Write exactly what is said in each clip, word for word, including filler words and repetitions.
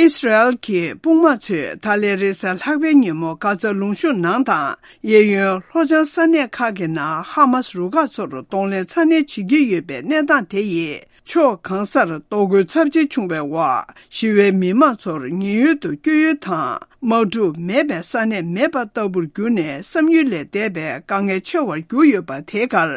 ཨི་སི་རལ་གྱི་དཔུང་དམག་ཚོས་ད་ལན་རེས་གཟའ་ལྷག་པའི་ཉིན་མོ་གྷ་ཛ་ལུང་གཤོང་ནང་དང་གཡས་གཡོན་ལྷོ་བྱང་ས་གནས་ཁག་གི་ནང་ཧ་མཱ་སི་རུ་ཁག་ཚོར་གདོང་ལེན་ཚ་ནན་བྱེད་ཀྱི་ཡོད་པའི་གནས་སྟངས་དེ་ཡིས། ཕྱོགས་གང་སར་གཏོར་རྒོལ་ཚབས་ཆེ་བྱུང་བའི་འོག་ཞི་བའི་མི་མང་ཚོར་ཉེན་གཡོལ་དུ་བསྐྱོད་ཡུལ་དང་། དམག་འཁྲུག་མེད་པའི་ས་གནས་མེད་པ་ལྟ་བུར་གྱུར་ནས་བསམ་ཡུལ་ལས་འདས་པའི་དཀའ་ངལ་ཆེ་བར་གྱུར་ཡོད་པ། དེའི་ཁར།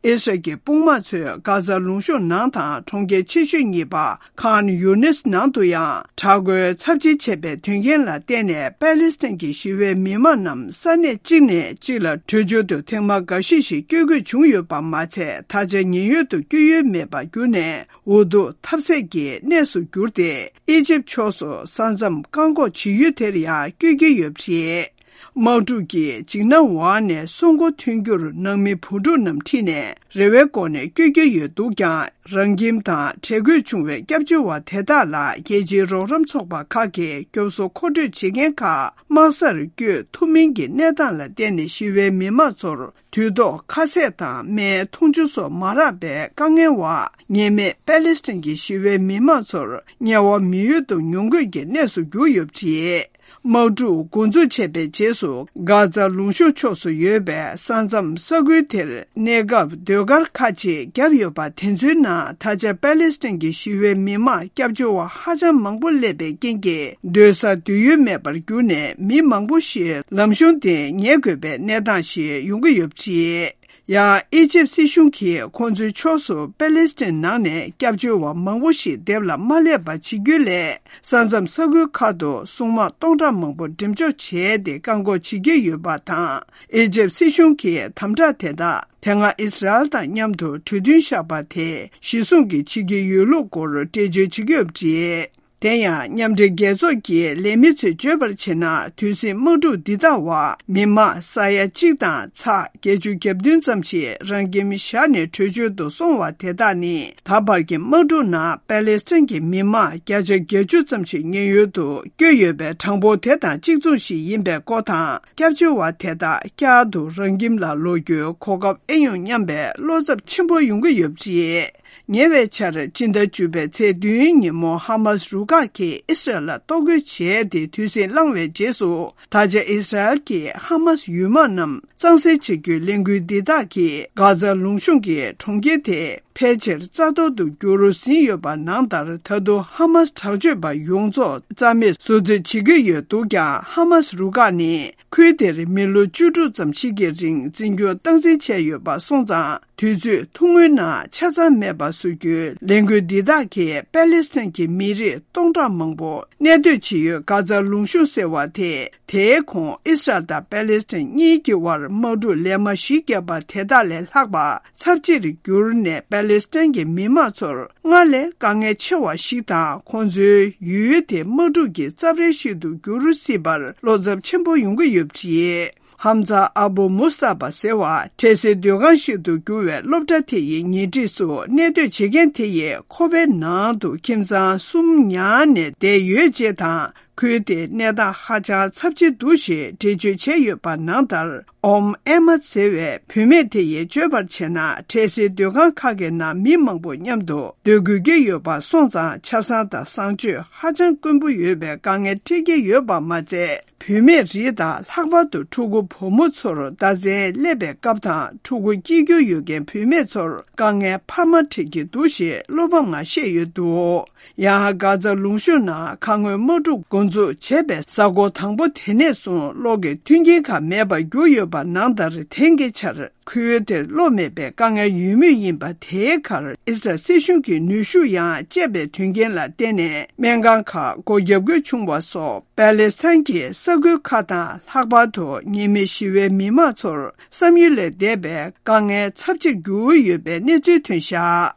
ཨི་སི་རལ་གྱི་དཔུང་དམག་ཚོས་གྷ་ཛ་ལུང་གཤོང་ནང་དང་གྲོང་ཁྱེར་ཆེ་ཤོས་གཉིས་པ་ཁཱན་ཡུ་ནིས་ནང་དུ་ཡང་དྲག་རྒོལ་ཚབས་ཆེ་བྱས་པའི་དོན་རྐྱེན་ལ་བརྟེན་ནས། པེ་ལེ་སི་ཐན་གྱི་ཞི་བའི་མི་མང་རྣམས་ས་གནས་གཅིག་ནས་གཅིག་ལ་བྲོས་བྱོལ་དུ་ཐེངས་མ་འགའ་ཤས་ཤིག་བསྐྱོད་དགོས་བྱུང་ཡོད་པ་མ་ཚད། ད་ཆ་ཉེན་གཡོལ་དུ་བསྐྱོད་ཡུལ་མེད་པར་གྱུར་ནས། འུ་ཐུག་ཐབས་ཟད་ཀྱི་གནས་སུ་གྱུར་ཏེ། ཨི་ཇིབ་ཕྱོགས་སུ་ས་མཚམས་བཀག་འགོག་བྱེད་ཡུལ་དེར་ཡང་བསྐྱོད་ཀྱི་ཡོད་པ་རེད། དམག་འཁྲུག་གིs འཇིགས་སྣང་འོག་ནས་སྲོག་མགོ་ཐོན་རྒྱུར་ནང་མི་བུ་ཕྲུག་རྣམས་ཁྲིད་ནས་རེ་བའི་སྒོ་ནས་བསྐྱོད་ཀྱི་ཡོད་འདུག་ཀྱང་། རང་ཁྱིམ་དང་བྲལ་དགོས་བྱུང་བའི་སྐྱབས་བཅོལ་བ་དེ་དག་ལ་རྒྱལ་སྤྱིའི་རོགས་རམ་ཚོགས་པ་ཁག་གིས་སྐྱོབ་གསོ་མཁོ་སྤྲོད་བྱེད་མཁན་ཁག་དམག་སར་བསྐྱོད་ཐུབ་མིན་གྱི་གནས་སྟངས་ལ་བརྟེན་ནས་ཞི་བའི་མི་མང་ཚོར། དུས་ཐོག་ཁ་ཟས་དང་སྨན། འཐུང་ཆུ་སོགས་མ་རག་པའི་དཀའ་ངལ་འོག་ཉེས་མེད་པེ་ལེ་སི་ཐན་གྱི་ཞི་བའི་མི་མང་ཚོར་དམྱལ་བ་མི་ཡུལ་དུ་མྱོང་དགོས་ཀྱི་གནས་སུ་གྱུར་ཡོད་པ་རེད། དམག་འཁྲུག་འགོ་འཛུགས་བྱས་པའི་རྗེས་སུ། གྷ་ཛ་ལུང་གཤོང་ཕྱོགས་སུ་ཡོད་པའི་ས་མཚམས་ས་ཁུལ་དེར་གནས་སྐབས་ཟློས་གར་ཁག་ཅིག་བརྒྱབ་ཡོད་པ། དེ་ཚོའི་ནང་ད་ཆ་པེ་ལེ་སི་ཐན་གྱི་ཞི་བའི་མི་མང་སྐྱབས་བཅོལ་བ་ཧ་ཅང་མང་པོ་སླེབས་པའི་རྐྱེན་གྱིས། སྡོད་ས་སྡོད་ཡུལ་མེད་པར་གྱུར་ནས། མི་མང་པོ་ཞིག་ལམ་གཞུང་དེ་ཉལ་དགོས་པའི་གནས་སྟངས་ཤིག་ཡོང་གི་ཡོད་པ་རེད། ཡང་། ཨི་ཇིབ་སྲིད་གཞུང་གིས་ཁོང་ཚོའི་ཕྱོགས་སུ་པེ་ལེ་སི་ཐན་ནང་ནས་སྐྱབས་བཅོལ་བ་མང་པོ་ཞིག་འདེབས་ལ་མ་སླེབས་པ་བྱེད་རྒྱུའི་སླད། ས་མཚམས་ས་ཁུལ་ཁག་ཏུ་སྲུང་དམག་སྟོང་ཕྲག་མང་པོ་འགྲེམས་འཇོག་བྱས་ཏེ། བཀག་འགོག་བྱེད་ཀྱི་ཡོད་པ་དང་། ཨི་ཇིབ་སྲིད་གཞུང་གིས་དམ་དྲག་དེ་དག་དེ་སྔ་ཨི་སི་རལ་དང་མཉམ་དུ་གྲོས་མཐུན་བཞག་པ་དེ་གཞི་བཟུང་གིས་བྱེད་ཀྱི་ཡོད་ལུགས་སྐོར་འགྲེལ་བརྗོད་བྱེད་ཀྱི་ཡོད་པ་རེད། དེ་ཡང་། མཉམ་འབྲེལ་རྒྱལ་ཚོགས་ཀྱི་ལས་མི་ཚོས་བརྗོད་པར་བྱས་ན། དུས་ཟིང་དམག་འཁྲུག་འདི་དག་འོག་མི་མང་ས་ཡ་གཅིག་དང་ཚེག་བརྒྱད་ཅུ་གྱ་བདུན་ཙམ་ཞིག་རང་ཁྱིམ་བཞག་ནས་བྲོས་བྱོལ་དུ་སོང་བ་དེ་དག་ནི། ད་བར་གྱི་དམག་འཁྲུག་ནང་པེ་ལེ་སི་ཐན་གྱི་མི་མང་བརྒྱ་ཆ་བརྒྱད་ཅུ་ཙམ་ཞིག་ཉེན་གཡོལ་དུ་བསྐྱོད་ཡོད་པའི་གྲངས་འབོར་དེ་དང་གཅིག་མཚུངས་ཤིག་ཡིན་པའི་སྐོར་དང་། སྐྱབས་བཅོལ་བ་དེ་དག་བསྐྱར་དུ་རང་ཁྱིམ་ལ་ལོག་རྒྱུའི་གོ་སྐབས་ཨེ་ཡོང་སྙམ་པའི་བློ་འཚབ་ཆེན་པོ་ཡོང་གི་ཡོད་པ་རེད། ཉེ་བའི་ཆར། སྤྱི་ཟླ་བཅུ་པའི་ཚེས་བདུན་ཉིན་མོ། ཧ་མཱ་སི་རུ་ཁག་གིས་ཨི་སི་རལ་ལ་གཏོར་རྒོལ་བྱས་ཏེ་དུས་ཟིང་བསླངས་བའི་རྗེས་སུ། ད་ཆ་ཨི་སི་རལ་གྱིས་ཧ་མཱ་སི་ཡུལ་དམག་རྣམས་གཙང་སེལ་བྱེད་རྒྱུའི་ལས་འགུལ་འདི་དག་གིས། གྷ་ཛ་ལུང་གཤོང་གི་གྲོང་ཁྱེར་དེ་ཕལ་ཆེར་རྩ་གཏོར་དུ་གྱུར་ཟིན་ཡོད་པ་ནང་ལྟར། ད་དུང་ཧ་མཱ་སི་དྲག་སྤྱོད་པ་ཡོངས་རྫོགས་རྩ་མེད་བཟོ་རྩིས་བྱེད་ཀྱི་ཡོད་འདུག་ཀྱང་། ཧ་མཱ་སི་རུ་ཁག་ནི། ཁུལ་དེར་མི་ལོ་བཅུ་དྲུག་ཙམ་ཞིག་གི་རིང་འཛིན་སྐྱོང་སྟངས་འཛིན་བྱས་ཡོད་པ་སོང་ཙང་། དུས་ཚོད་ཐུང་ངུའི་ནང་ཆ་ཚང་མེད་པ་བཟོ་རྒྱུའི་ལས་འགུལ་འདི་དག་གིས་པེ་ལེ་སི་ཐན་གྱི་མི་རིགས་སྟོང་ཕྲག་མང་པོ་གནས་སྡོད་བྱེད་ཡུལ་གྷ་ཛ་ལུང་གཤོང་ཟེར་བ་དེ། དེའི་གོང་ཨི་སི་རལ་དང་པེ་ལེ་སི་ཐན་གཉིས་ཀྱི་དབར་དམག་འཁྲུག་ལན་མ་བཞི་བརྒྱབ་པ་དེ་དག་ལས་ལྷག་པ་ཚབས་ཆེར་གྱུར་ནས། པེ་ལེ་སི་ཐན་གྱི་མི་མང་ཚོར། སྔར་ལས་དཀའ་ངལ་ཆེ་བ་ཞིག་དང་། ཁོང་ཚོའི་ཡུལ་དེ་དམག་འཁྲུག་གི་རྩབ་རལ་ཞིག་ཏུ་འགྱུར་སྲིད་པར་བློ་འཚབ་ཆེན་པོ་ཡོང་གི་ཡོད་པ་རེད། ཧམ་ཛ་ཨ་བུ་མུ་སྟ་པ་ཟེར་བ། འཕྲལ་སེལ་སྡོད་ཁང་ཞིག་ཏུ་གྱུར་བའི་སློབ་གྲྭ་དེ་ཡི་ཉེ་འཁྲིས་སུ་གནས་སྡོད་བྱེད་མཁན་དེ་ཡིས། ཁོ་པའི་ནང་དུ་ཁྱིམ་ཚང་གསུམ་ཉར་ནས་བསྡད་ཡོད་ཅེས་དང་། ཁུལ་དེའི་གནས་སྟངས་ཧ་ཅང་ཚབས་ཆེ་འདུག་ཞེས་འགྲེལ་བརྗོད་བྱས་ཡོད་པ་ནང་ལྟར། ཨོམ་ཨེ་མ་ཟེར་བའི་བུད་མེད་དེ་ཡིས་བརྗོད་པར་བྱས་ན། འཕྲལ་སེལ་སྡོད་ཁང་ཁག་གི་ནང་མི་མང་པོ་མཉམ་དུ་སྡོད་དགོས་ཀྱི་ཡོད་པ་སོང་ཙང་། ཆབ་གསང་དང་གསང་སྤྱོད་ཧ་ཅང་དཀོན་པོ་ཡོད་པའི་དཀའ་ངལ་འཕྲད་ཀྱི་ཡོད་པ་མ་ཚད། བུད་མེད་རིགས་དང་། ལྷག་པར་དུ་ཕྲུ་གུ་བུ་མོ་ཚོར་ཟླ་མཚན་སླེབས་པའི་སྐབས་དང་། ཕྲུ་གུ་སྐྱེ་རྒྱུ་ཡོད་མཁན་བུད་མེད་ཚོར་དཀའ་ངལ་འཕར་མ་འཕྲད་ཀྱི་འདུག་ཞེས་བློ་ཕམ་ངང་བཤད་ཡོད་འདུག་ཡང་། གྷ་ཛ་ལུང་གཤོང་ནང་ཁ་སྔོན་དམག་འཁྲུག་འགོ་འཛུགས་བྱས་པའི་གཟའ་འཁོར་དང་པོ་དེ་ནས་བཟུང་གློག་གི་མཐུན་རྐྱེན་ཁག་མེད་པར་གྱུར་ཡོད་པ་ནང་ལྟར། དེང་གི་ཆར་ཁུལ་དེར་གློག་མེད་པའི་དཀའ་ངལ་ཡོད་མུས་ཡིན་པ། དེའི་ཁར་ཨི་སི་རལ་སྲིད་གཞུང་གིས་ནུས་ཤུགས་ཡང་སྤྱད་པའི་དོན་རྐྱེན་ལ་བརྟེན་ནས། སྨན་ཁང་ཁག་སྒོ་བརྒྱབ་དགོས་བྱུང་བ་སོགས། པེ་ལེ་སི་ཐན་གྱི་ས་ཁུལ་ཁག་དང་། ལྷག་པར་དུ་ཉེས་མེད་ཞི་བའི་མི་མང་ཚོར་བསམ་ཡུལ་ལས་འདས་པའི་དཀའ་ངལ་ཚབས་ཆེར་འགྱུར་ཡོད་པའི་གནས་ཚུལ་ཐོན་བཞག